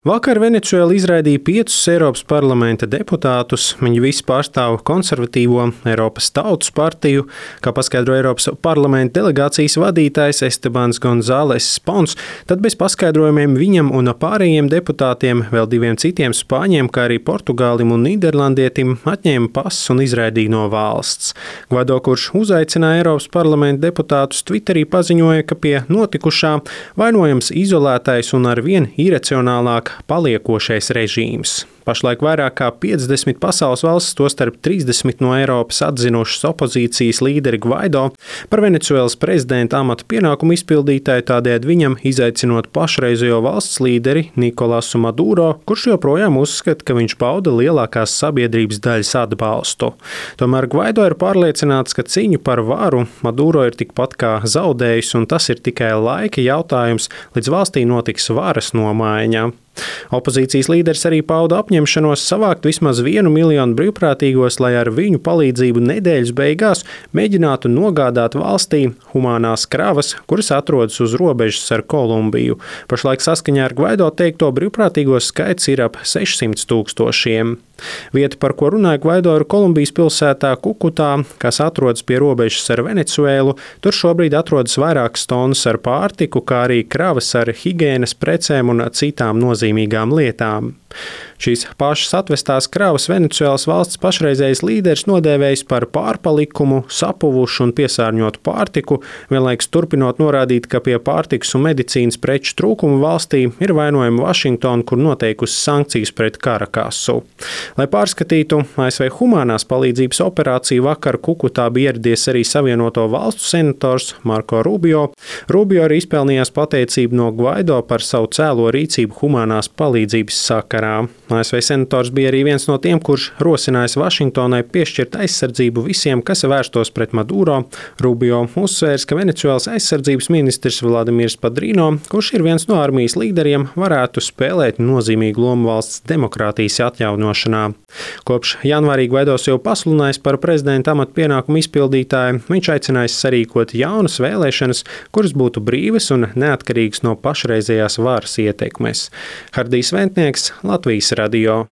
Vakar Venecuēla izraidīja 5 Eiropas parlamenta deputātus. Viņi visi pārstāv konservatīvo Eiropas Tautas partiju, kā paskaidro Eiropas parlamenta delegācijas vadītājs Estebans Gonzāles Pons. Tad bez paskaidrojumiem viņam un pārējiem deputātiem, vēl 2 citiem spāņiem, kā arī portugālim un nīderlandietim, atņēma pasus un izraidīja no valsts. Gvaido, kurš uzaicināja Eiropas parlamenta deputātus, Twitterī paziņoja, ka pie notikušā vainojams izolētais un arvien iracionālāk paliekošais režīms. Pašlaik vairāk kā 50 pasaules valstis, tostarp 30 no Eiropas, atzinušas opozīcijas līderi Gvaido par Venecuēlas prezidenta amata pienākumu izpildītāju, tādējādi viņam izaicinot pašreizējo valsts līderi Nikolasu Maduro, kurš joprojām uzskata, ka viņš bauda lielākās sabiedrības daļas atbalstu. Tomēr Gvaido ir pārliecināts, ka cīņu par varu Maduro ir tikpat kā zaudējis, un tas ir tikai laika jautājums, līdz valstī notiks varas nomaiņa. Opozīcijas līderis arī pauda apņemšanos savākt vismaz 1 miljonu brīvprātīgos, lai ar viņu palīdzību nedēļas beigās mēģinātu nogādāt valstī humānās kravas, kuras atrodas uz robežas ar Kolumbiju. Pašlaik saskaņā ar Gvaido teikto brīvprātīgo skaits ir ap 600 000. Vieta, par ko runāja Gvaido, ir Kolumbijas pilsētā Kukutā, kas atrodas pie robežas ar Venecuēlu. Tur šobrīd atrodas vairākas tonnas ar pārtiku, kā arī kravas ar higienas precēm un citām nozīmīgām lietām. Šīs pašas atvestās kravas Venecuēlas valsts pašreizējais līderis nodēvējis par pārpalikumu, sapuvušu un piesārņotu pārtiku, vienlaikus turpinot norādīt, ka pie pārtikas un medicīnas preču trūkuma valstī ir vainojama Vašingtona, kur noteikusi sankcijas pret Karakasu. Lai pārskatītu ASV humānās palīdzības operāciju, vakar Kukutā bija ieradies arī Savienoto valstu senators Marko Rubio. Rubio arī izpelnījās pateicību no Gvaido par savu cēlo rīcību humānās palīdzības sakarā. ASV senators bija arī viens no tiem, kurš rosinājis Vašingtonai piešķirt aizsardzību visiem, kas vērstos pret Maduro. Rubio uzsvērs, ka Venecuēlas aizsardzības ministrs Vladimirs Padrino, kurš ir viens no armijas līderiem, varētu spēlēt nozīmīgu lomu valsts demokrātijas atjaunošanā. Kopš janvārī Gvaidos jau pasludinājis par prezidenta amata pienākumu izpildītāju, viņš aicinājis sarīkot jaunas vēlēšanas, kuras būtu brīvas un neatkarīgas no pašreizējās varas ietekmes. Hardijs Ventnieks, Latvijas radio.